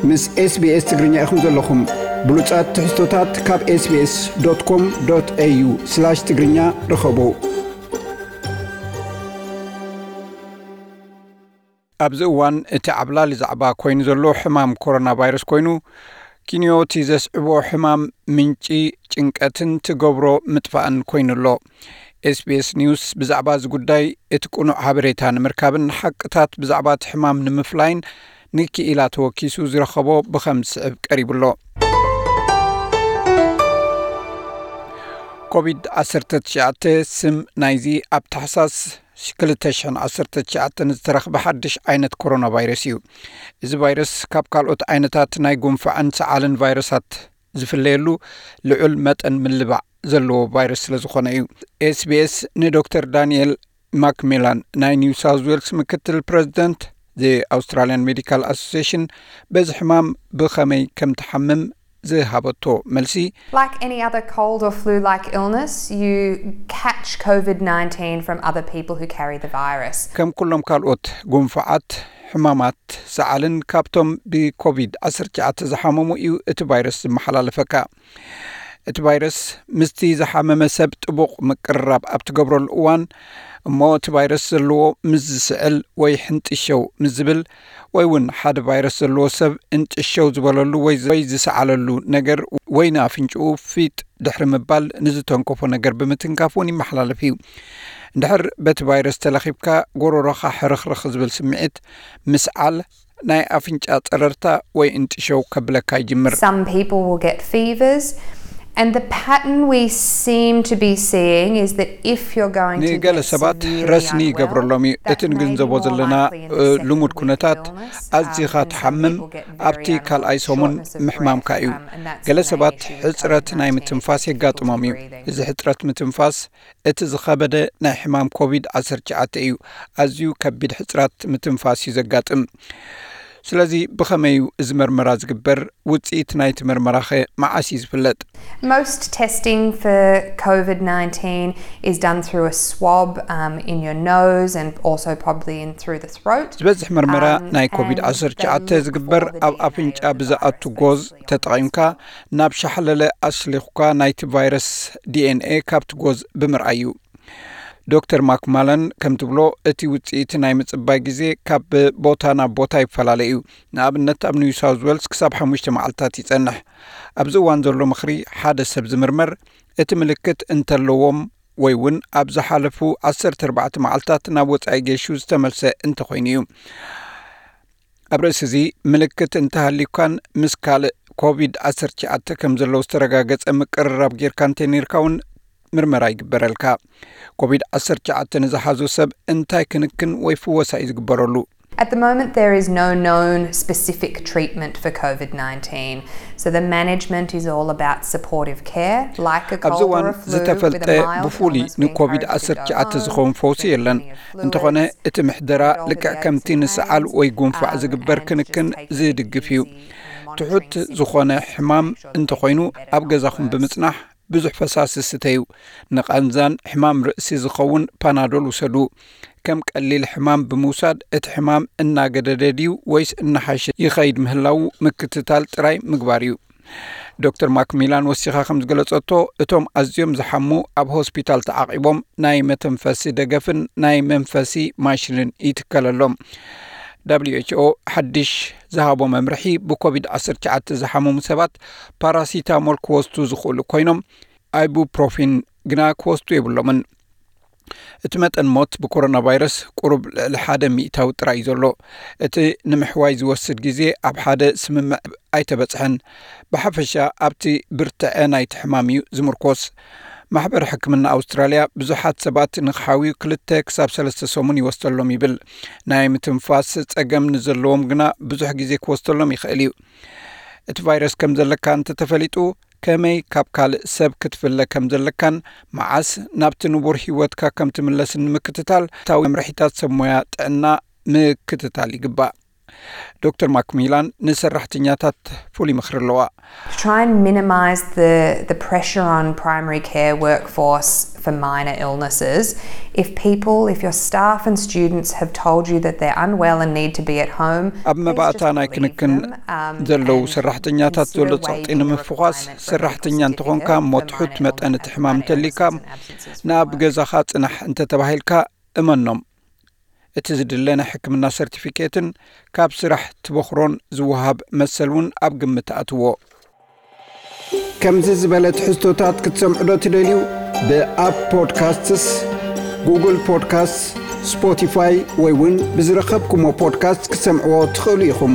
ምስ SBS ትግርኛ ኢኹም ዘለኹም። ብሉጻት ትሕዝቶታት ካብ SBS.com.au/ትግርኛ ርኸቡ። ኣብዚ እዋን እቲ ዓብላሊ ዛዕባ ኮይኑ ዘሎ ሕማም ኮሮና ቫይረስ ኮይኑ፣ ኪንዮ እቲ ዘስዕቦ ሕማም ምንጪ ጭንቀትን ትገብሮ ምጥፋእን ኮይኑ ኣሎ። SBS ኒውስ ብዛዕባ እዚ ጉዳይ እቲ ቅኑዕ ሓበሬታ ንምርካብን ሓቅታት ብዛዕባ እቲ ሕማም ንምፍላይን ንክኢላ ተወኪሱ ዝረኸቦ ብኸም ዝስዕብ ቀሪቡ ኣሎ። ኮቪድ ዓሰርተ ትሽዓተ ስም ናይዚ ኣብ ታሕሳስ ክልተ ሽሕን ዓሰርተ ትሽዓተን ዝተረኽበ ሓድሽ ዓይነት ኮሮና ቫይረስ እዩ። እዚ ቫይረስ ካብ ካልኦት ዓይነታት ናይ ጉንፋዕን ሰዓልን ቫይረሳት ዝፍለየሉ ልዑል መጠን ምልባዕ ዘለዎ ቫይረስ ስለ ዝኾነ እዩ። SBS ንዶክተር ዳንኤል ማክሜላን ናይ ኒው ሳውዝ ዌልስ ምክትል ፕረዚደንት The Australian Medical Association በዚ ሕማም ብኸመይ ከም ትሓምም ዝሃበቶ መልሲ፣ Like any other cold or flu like illness, you catch COVID nineteen from other people who carry the virus. ከም ኩሎም ካልኦት ጉንፋዓት፣ ሕማማት ሰዓልን ካብቶም ብኮቪድ ዓሰርተ ትሽዓተ ዝሓመሙ እዩ እቲ ቫይረስ ዝመሓላለፈካ። እቲ ቫይረስ ምስቲ ዝሓመመ ሰብ ጥቡቕ ምቅርራብ ኣብ ትገብረሉ እዋን፣ እሞ እቲ ቫይረስ ዘለዎ ምስ ዝስዕል ወይ ሕንጥሸው ምስ ዝብል፣ ወይ እውን ሓደ ቫይረስ ዘለዎ ሰብ እንጥሸው ዝበለሉ ወይ ወይ ዝሰዓለሉ ነገር ወይ ንኣፍንጭኡ ፊጥ ድሕሪ ምባል ንዝተንከፎ ነገር ብምትንካፍ እውን ይመሓላለፍ እዩ። እንድሕር በቲ ቫይረስ ተለኺፍካ፣ ጎሮሮኻ ሕርኽርኽ ዝብል ስምዒት፣ ምስዓል፣ ናይ ኣፍንጫ ጸረርታ ወይ እንጥሸው ከብለካ ይጅምር። Some people will get fevers, and the pattern we seem to be seeing is that if you're going to ንገለ get ሰባት severely ረስኒ unwell, ይገብረሎም እዩ። that's እቲ ንግንዘቦ maybe more ዘለና likely in the እ፣ second ልሙድ week of ኩነታት illness. ኣዚኻ Um, some ትሓምም people get ኣብቲ very unwell, ካልኣይ ሰሙን shortness of ምሕማምካ breath, እዩ። um, and that's ገለ the main ሰባት issue with ሕጽረት ናይ COVID nineteen, ምትንፋስ difficulty የጋጥሞም እዩ። breathing. እዚ ሕጽረት ምትንፋስ እቲ ዝኸበደ ናይ ሕማም ኮቪድ ዓሰርተ ትሽዓተ እዩ። ኣዝዩ ከቢድ ሕጽረት ምትንፋስ እዩ ዘጋጥም። ስለዚ ብኸመይ እዩ እዚ መርመራ ዝግበር? ውጽኢት ናይቲ መርመራኸ መዓስ እዩ ዝፍለጥ? Most testing for COVID nineteen is done through a swab, um, in your nose and also probably in through the throat. ዝበዝሕ መርመራ Um, ናይ and ኮቪድ ዓሰርተ ትሽዓተ they look ዝግበር for the ኣብ D N A ኣፍንጫ of the ብዝኣቱ virus, ጎዝ basically, on the ተጠቒምካ ናብ ሻሕለለ ኣስሊኹካ ናይቲ ቫይረስ ዲ ኤን ኤ ካብቲ ጎዝ ብምርኣይ እዩ። ዶክተር ማክማለን ከምቲ ብሎ፣ እቲ ውጽኢት ናይ ምጽባይ ግዜ ካብ ቦታ ናብ ቦታ ይፈላለ እዩ። ንኣብነት ኣብ ኒው ሳውዝ ዌልስ ክሳብ ሓሙሽተ መዓልታት ይጸንሕ። ኣብዚ እዋን ዘሎ ምኽሪ፣ ሓደ ሰብ ዝምርመር እቲ ምልክት እንተለዎም ወይ እውን ኣብ ዝሓለፉ ዓሰርተ ኣርባዕተ መዓልታት ናብ ወጻኢ ገይሹ ዝተመልሰ እንተኾይኑ እዩ። ኣብ ርእሲ እዚ፣ ምልክት እንተሃልዩካን ምስ ካልእ ኮቪድ ዓሰርተ ትሽዓተ ከም ዘለዉ ዝተረጋገጸ ምቅርራብ ጌርካ እንተነይርካ እውን ምርመራ ይግበረልካ። ኮቪድ ዓሰርተ ትሽዓተ ንዝሓዞ ሰብ እንታይ ክንክን ወይ ፍወሳ እዩ ዝግበረሉ? At the moment, there is no known specific treatment for COVID nineteen. So the management is all about supportive care, like a ኣብዚ cold or እዋን a flu, ዝተፈልጠ with a mild ብፍሉይ illness, we ንኮቪድ encourage you to go ዓሰርተ ትሽዓተ home, ዝኾን ፈውሲ drink የለን። plenty of እንተኾነ fluids, እቲ ምሕደራ get all the ልክዕ D eight ከምቲ to ንሰዓል pads, ወይ ጉንፋዕ um, ዝግበር and just ክንክን take it ዝድግፍ እዩ። easy and monitoring ትሑት symptoms ዝኾነ to make ሕማም sure that they're እንተኾይኑ not worse. ኣብ ገዛኹም ብምጽናሕ ብዙሕ ፈሳሲ ስተዩ። ንቓንዛን ሕማም ርእሲ ዝኸውን ፓናዶል ውሰዱ። ከም ቀሊል ሕማም ብምውሳድ እቲ ሕማም እናገደደ ድዩ ወይስ እናሓሸ ይኸይድ ምህላዉ ምክትታል ጥራይ ምግባር እዩ። ዶክተር ማክሚላን ወሲኻ ከም ዝገለጸቶ፣ እቶም ኣዝዮም ዝሓሙ ኣብ ሆስፒታል ተዓቒቦም ናይ መተንፈሲ ደገፍን ናይ መንፈሲ ማሽንን ይትከለሎም። ደብሊው ኤች ኦ ሓድሽ ዝሃቦ መምርሒ፣ ብኮቪድ ዓሰርተ ትሽዓተ ዝሓመሙ ሰባት ፓራሲታሞል ክወስዱ ዝኽእሉ ኮይኖም፣ ኣይቡፕሮፊን ግና ክወስዱ የብሎምን። እቲ መጠን ሞት ብኮሮና ቫይረስ ቁሩብ ልዕሊ ሓደ ሚእታዊ ጥራይ እዩ ዘሎ። እቲ ንምሕዋይ ዝወስድ ግዜ ኣብ ሓደ ስምምዕ ኣይተበጽሐን። ብሓፈሻ ኣብቲ ብርትዐ ናይቲ ሕማም እዩ ዝምርኮስ። ማሕበር ሕክምና ኣውስትራልያ ብዙሓት ሰባት ንኽሓውዩ ክልተ ክሳብ ሰለስተ ሰሙን ይወስደሎም ይብል። ናይ ምትንፋስ ጸገም ንዘለዎም ግና ብዙሕ ግዜ ክወስደሎም ይኽእል እዩ። እቲ ቫይረስ ከም ዘለካ እንተተፈሊጡ፣ ከመይ ካብ ካልእ ሰብ ክትፍለ ከም ዘለካን መዓስ ናብቲ ንቡር ህይወትካ ከም ትምለስን ንምክትታል ታዊ መምርሒታት ሰብ ሞያ ጥዕና ምክትታል ይግባእ። ዶክተር ማክሚላን ንሰራሕተኛታት ፍሉይ ምኽሪ ኣለዋ። Try and minimize the, the pressure on primary care workforce for minor illnesses. If people, if your staff and students have told you that they're unwell and need to be at home, ኣብ መባእታ ናይ ክንክን ዘለዉ ሰራሕተኛታት ዘሎ ጸቕጢ ንምፍዃስ፣ ሰራሕተኛ እንተኾንካ እሞ ትሑት መጠን እቲ ሕማም እንተሊካ፣ ንኣብ ገዛኻ ጽናሕ እንተተባሂልካ እመኖም። እቲ ዝድለ ናይ ሕክምና ሰርቲፊኬትን ካብ ስራሕ ትበኽሮን ዝወሃብ መሰል እውን ኣብ ግምት ኣእትዎ። ከምዚ ዝበለ ትሕዝቶታት ክትሰምዑ ዶ ትደልዩ? ብኣፕ ፖድካስትስ፣ ጉግል ፖድካስትስ፣ ስፖቲፋይ ወይ እውን ብዝረኸብኩሞ ፖድካስት ክትሰምዕዎ ትኽእሉ ኢኹም።